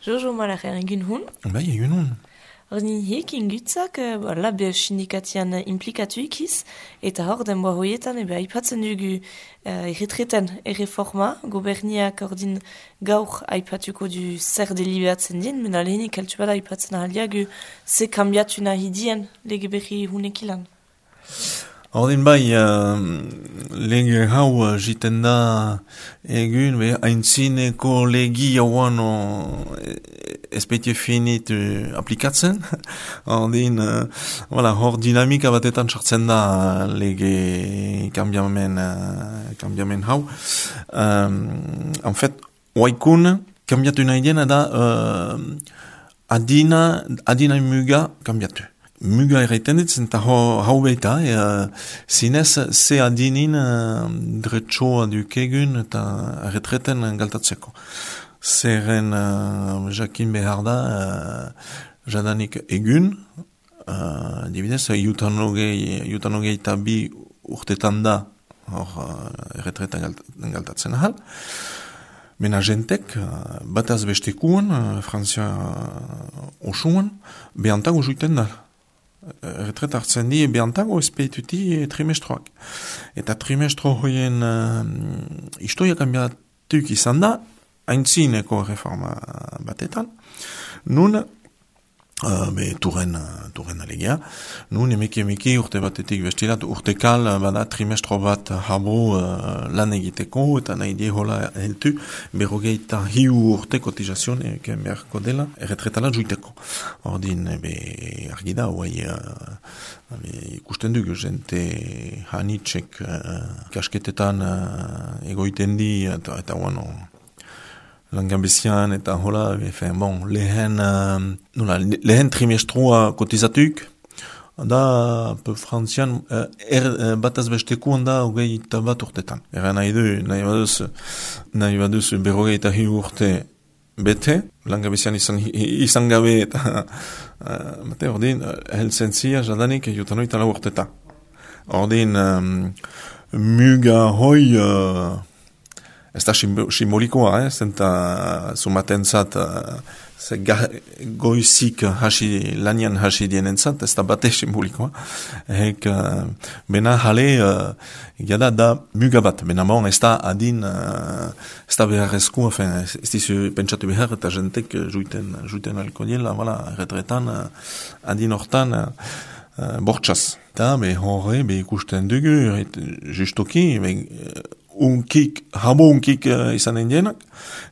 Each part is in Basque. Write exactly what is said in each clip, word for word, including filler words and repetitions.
Jojo malaren egin hun. Bai, egin hun. Ordin hik ingutzak, uh, labe sindikatian implikatu ikiz, eta hor denboa hoietan ebe aipatzen dugu uh, erretreten erreforma, goberniak ordin gaur aipatuko du zer deliberatzen din, mena lehenik altu bada aipatzen ahaliagu ze kambiatu nahi dien lege berri hunekilan. Ordin bai, uh, lege hau uh, jiten da egun, be, haintzineko legi hauan especie finit uh, aplikatzen. Ordin, uh, voilà, hor dinamika batetan sartzen da lege kambiamen, uh, kambiamen hau. Um, en fait, oaikun, kambiatu nahi dena da uh, adina, adina muga kambiatu. Muga erraiten dit, zenta hau baita, e, zinez, ze adinin uh, dretsoa dukegun eta retreten galtatzeko. Zeren uh, jakin behar da, uh, jadanik egun, uh, dibidez, jutanogei eta bi urtetan da, hor uh, retreten galtatzen ahal. Mena jentek, uh, bataz bestekuan, uh, Frantzia uh, osuan, behantago juiten da. Retret hartzen di behantago espeituti trimestroak. Eta trimestro hoien uh, istoia kambiatuk izan da, haintzineko reforma batetan. Nun, uh, be turren, turren alegia, nun emeki emeki urte batetik bestilat, urtekal bada trimestro bat habo uh, lan egiteko, eta nahi die hola heltu, berrogeita hiu urte kotizazion eken beharko dela, erretretala juiteko. Ordin, be, argi da, oai, uh, ikusten dugu, jente hanitxek uh, kasketetan uh, egoiten di, eta, eta bueno, langabezian, eta hola, efen, bon, lehen, uh, nola, lehen trimestrua kotizatuk, da, pe frantzian, uh, er, uh, bataz bestekuan da, hogei eta bat urtetan. Era nahi du, nahi baduz, nahi baduz, berrogei eta hiu urte bete, langabezian izan, izan gabe, eta, uh, bate, ordin, helzen zia, jadanik, jutanoita lau urteta. Ordin, um, muga hoi, uh, ez da simbolikoa, eh? Zenta zumaten zat, uh, goizik hasi, lanian hasi dienen zat, ez da bate simbolikoa. Hek, uh, bena jale, uh, gada da muga bat, bena bon, ez da adin, uh, ez da beharrezko, ez dizu pentsatu behar, eta jentek juiten, juiten alko diela, voilà, retretan, uh, adin hortan, uh, uh, bortxaz. Eta, be horre, be ikusten dugu, justoki, be, uh, unkik, habo unkik uh, izanen dienak,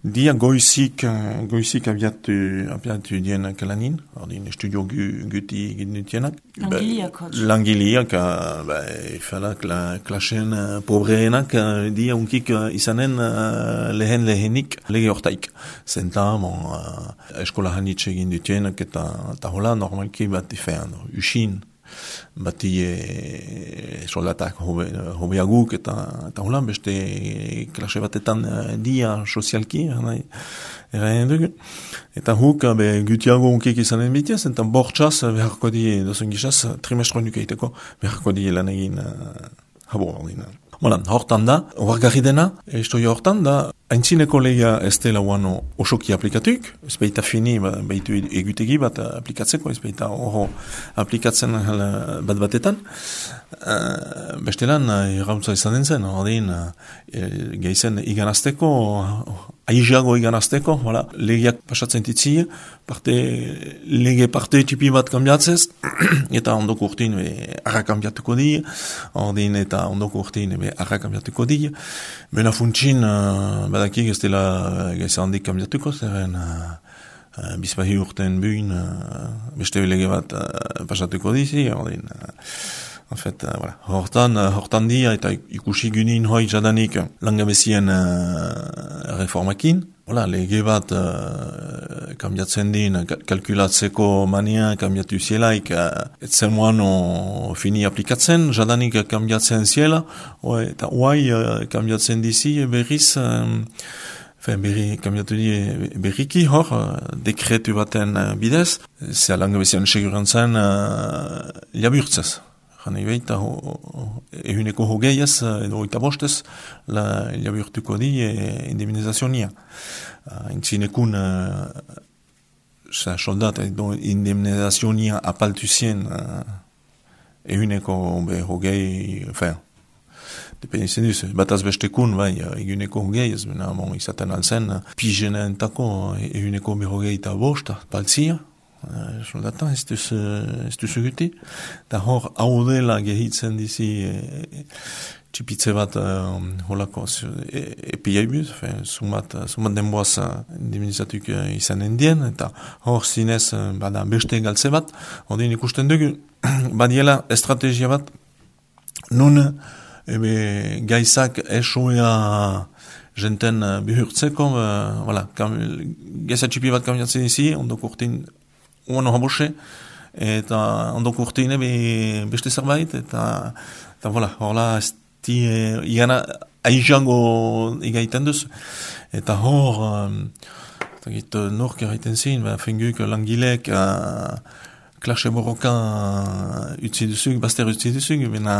dia goizik, uh, goizik abiatu, abiatu dienak lanin, ordin estudio gu, guti gidnutienak. Langiliak. Langiliak, uh, ba, ifala kla, klasen uh, pobreenak, uh, dia unkik uh, izanen uh, lehen lehenik lege hortaik. Zenta, bon, uh, eskola hanitxe egin dutienak, eta, eta hola normalki bat ifean, usin. Bati e, soldatak hobe, hobeaguk eta, eta holan beste klase batetan dia sozialki erraien dugu. Eta huk be, gutiago unkik izanen bitiaz, eta bortxaz beharko di dozen gizaz trimestro nukeiteko beharko di lan egin uh, habo ordin. Voilà, hortan da, oargarri dena, estoia hortan da, haintzineko leia ez dela uano osoki aplikatuk, ez baita fini, ba, baitu egutegi bat aplikatzeko, ez baita oro aplikatzen bat batetan. Uh, bestelan, errautza izan den zen, ordin, uh, geizen iganazteko, aiziago iganazteko, voilà, legiak pasatzen titzi, parte, lege parte tipi bat kambiatzez, eta ondoko urtin arra kambiatuko di, ordin eta ondoko urtin arra kambiatuko di, bena funtsin, uh, badakik ez dela geiza handik kambiatuko, zeren uh, uh, bizpahi urten buin, uh, beste lege bat uh, pasatuko dizi, ordin, uh, en fait, uh, voilà. Hortan, uh, hortan dia eta ikusi gunin hoi jadanik langabezien uh, reformakin. Voilà, lege bat uh, kambiatzen din, kalkulatzeko mania kambiatu zielaik, uh, etzen moano fini aplikatzen, jadanik kambiatzen ziela, o, eta oai uh, kambiatzen dizi berriz, um, Fen, berri, kambiatu di berriki hor, uh, dekretu baten uh, bidez, zea langabezien segurantzen uh, liaburtzez. Gana ibeita, ehuneko hogeiaz, edo oita bostez, la liaburtuko di e, indemnizazionia. Uh, Intzinekun uh, soldat edo indemnizazionia apaltu zien uh, eguneko be hogei, enfin, dependitzen duz, bataz bestekun, bai, eguneko hogei, ez bena, bon, izaten alzen, pijenen tako, eguneko be hogei eta bosta, paltzia, uh, soldata, ez duz, ez duz eguti, eta hor, hau dela gehitzen dizi, e, txipitze bat uh, holako e, epiai buz, sumat, sumat denboaz uh, indemnizatuk uh, izanen dien, eta hor zinez uh, bada beste galtze bat, hori ikusten dugu, badiela estrategia bat, nun ebe, gaizak esoea jenten uh, bihurtzeko, uh, voilà, kam, gaisa txipi bat kaminatzen izi, ondoko urtin uano habose, eta ondoko urtin ebe beste zerbait, eta, eta voilà, horla ez Uh, igana aijango igaiten duz, eta hor um, eta nork erraiten zin, ba, fenguk langilek uh, klase borroka uh, utzi duzuk, baster utzi duzuk, bena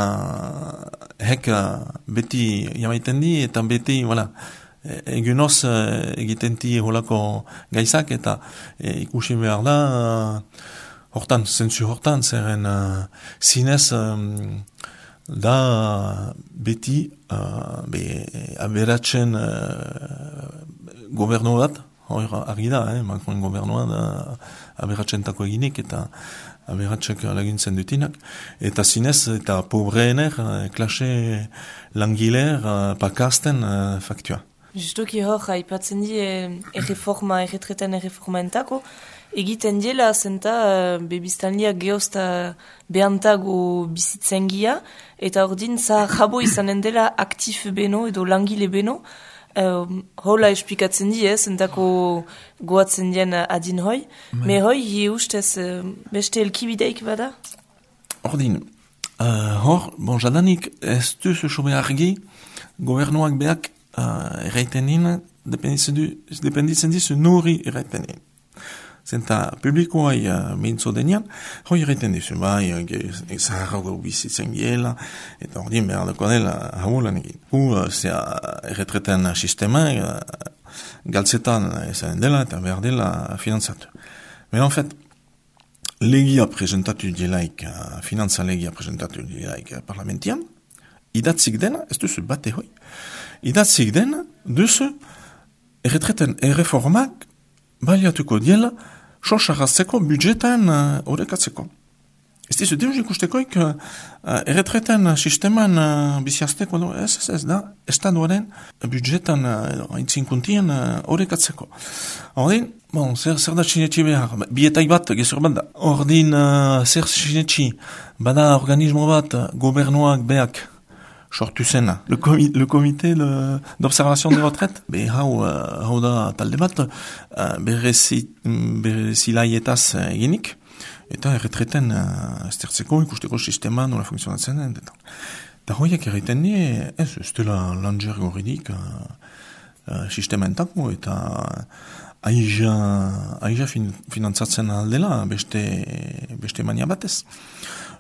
hek uh, beti jamaiten di, eta beti, voilà, egunoz uh, egiten di holako gaizak, eta e, ikusi behar da, uh, hortan, zentzu hortan, zeren uh, zinez, um, da beti uh, be, aberatzen uh, gobernu bat, hor argi da, eh, Macron gobernua da aberatzen tako eginik eta aberatzek laguntzen dutinak, eta zinez eta pobreener, uh, klase langiler uh, pakasten uh, faktua. Justoki hor, haipatzen di erreforma, erretreten erreforma entako, egiten diela zenta uh, bebiztanliak geozta behantago bizitzengia, eta ordin za jabo izanen dela aktif beno edo langile beno, uh, hola esplikatzen di, eh, zentako goatzen dien adin hoi, me hoi hi ustez uh, beste elkibideik bada? Ordin, uh, hor, bon, jadanik ez duzu sobe argi, gobernuak beak uh, erraiten nien, dependitzen dizu nuri erraiten nien. Zenta publikoai uh, mintzo denean, hoi erraiten dizu, bai, zaharrago bizitzen giela, eta ordin behar dako dela haulan egin. Hu, uh, zea erretreten sistema, uh, galtzetan ezanen dela, eta behar dela finanzatu. Men en fait, legia presentatu dielaik, uh, finantza legia presentatu dielaik uh, parlamentian, idatzik dena, ez duzu bate hoi, idatzik dena, duzu erretreten erreformak baliatuko diela, sosarazteko budjetan horrekatzeko. Uh, ez dizu, deus ikustekoik uh, erretreten sisteman uh, biziazteko, no? ez, ez, ez da, estaduaren budjetan uh, aintzinkuntien horrekatzeko. Uh, Ordin, bon, zer, zer da txinetxi behar, bietai bat, gezur bat da. Ordin, uh, zer txinetxi, bada organismo bat, gobernuak beak, sortu zena. Le, comi le comité d'observation de retraite, be hau, uh, hau da talde bat, uh, berezilaietaz uh, eginik, eta erretreten uh, estertzeko ikusteko sistema nola funtzionatzen den. Eta hoiak erraiten ni, ez, ez dela langer gorridik uh, uh, sistema entako, eta aija, aija fin, finantzatzen aldela beste, beste mania batez.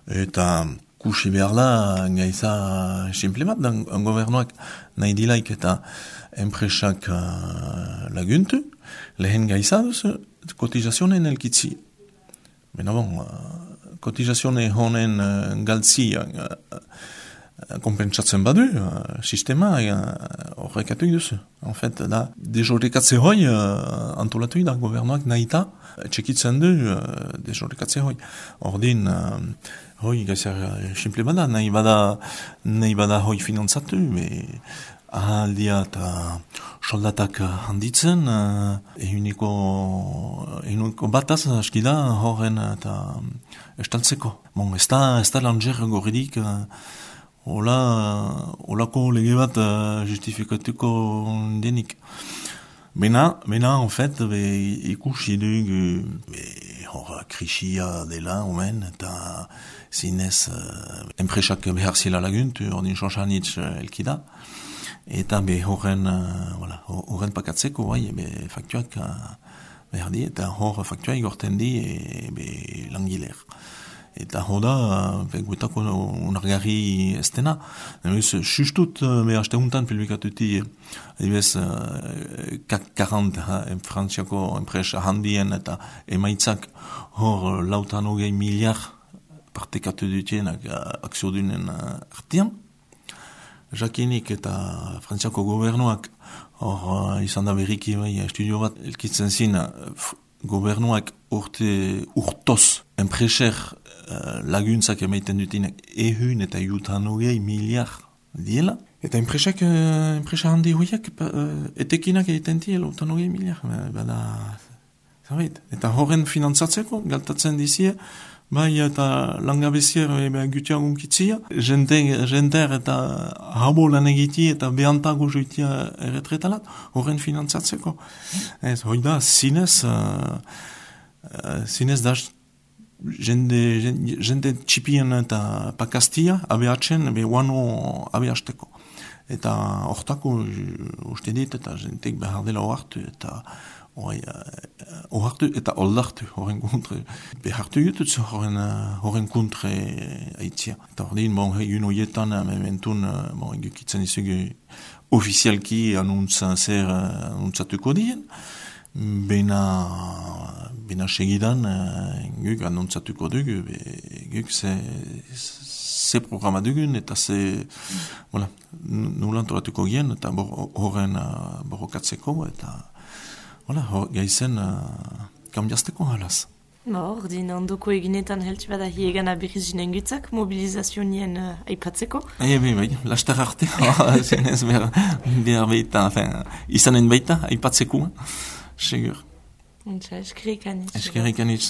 Eta kusi behar da, gaiza simple bat, dan gobernuak nahi dilaik eta enpresak uh, laguntu, lehen gaiza duzu, kotizazionen elkitzi. Bena bon, uh, kotizazionen honen uh, galtzi uh, uh, kompentsatzen badu, uh, sistema horrekatu uh, duzu. En fait, da, dezorrekatze hoi uh, antolatu da gobernuak nahi eta txekitzen du uh, dezorrekatze hoi. Ordin, uh, hoi, gaizar, simple bada, nahi bada, nahi bada hoi finantzatu, be, ahaldia eta soldatak handitzen, uh, ehuniko, ehuniko bataz askida horren eta estaltzeko. Bon, ez da, ez da langer gorridik, uh, hola, holako lege bat uh, justifikatuko denik. Bena, bena, en fait, be, ikusi dugu, be, hor, krisia dela, omen, eta zinez, uh, enpresak behar zila laguntu, ordin xoxanitz uh, elkida, eta be horren, uh, voilà, horren pakatzeko, bai, be, faktuak uh, behar di, eta hor faktuak gorten di, e, be, langiler. Eta hoda, guetako unargarri ez dena. Nemez, sustut, me haste untan publikatuti, adibes, CAC quarante, frantziako enpresa handien eta emaitzak hor lautan hogei miliar partekatu dutienak akziodunen artian. Jakinik eta frantziako gobernuak hor izan da berriki bai, estudio bat elkitzen zin, gobernuak urte urtoz enpreser uh, laguntzak emaiten dutinak ehun eta jutan hogei miliar diela. Eta enpresak, uh, enpresa handi horiak uh, etekinak egiten diela utan hogei miliar. Bada, zabait. Eta horren finantzatzeko, galtatzen dizie, bai eta langabezier ebe gutia gunkitzia, jenter eta habo lan egiti eta behantago joitia erretretalat, horren finantzatzeko. Ez, hoi da, zinez, uh, uh, zinez da jende, jende, jende txipien eta pakastia abeatzen, ebe wano abeazteko. Eta hortako, uste dit, eta jentek behar dela ohartu, eta Hoi, ohartu eta oldartu horren kontre. Behartu jututzu horren, horren kontre haitzia. Eta hor din, bon, egun hoietan, mementun, bon, egukitzen izugu ofizialki anuntza zer anuntzatuko dien. Bena, bena segidan, guk anuntzatuko dugu, guk ze, ze programa dugun, eta ze, voilà, nulan toratuko gien, eta horren borrokatzeko, eta Hola, gaizen uh, kambiazteko halaz. Ba, ordin, ondoko eginetan heltsi bada hiegana berrizinen gutzak, mobilizazionien uh, aipatzeko. Ebe, bai, bai, lastar arte, zinez behar, behar baita, enfin, izanen baita, aipatzeko, segur. Untsa, eskerrik anitz. Eskerrik anitz,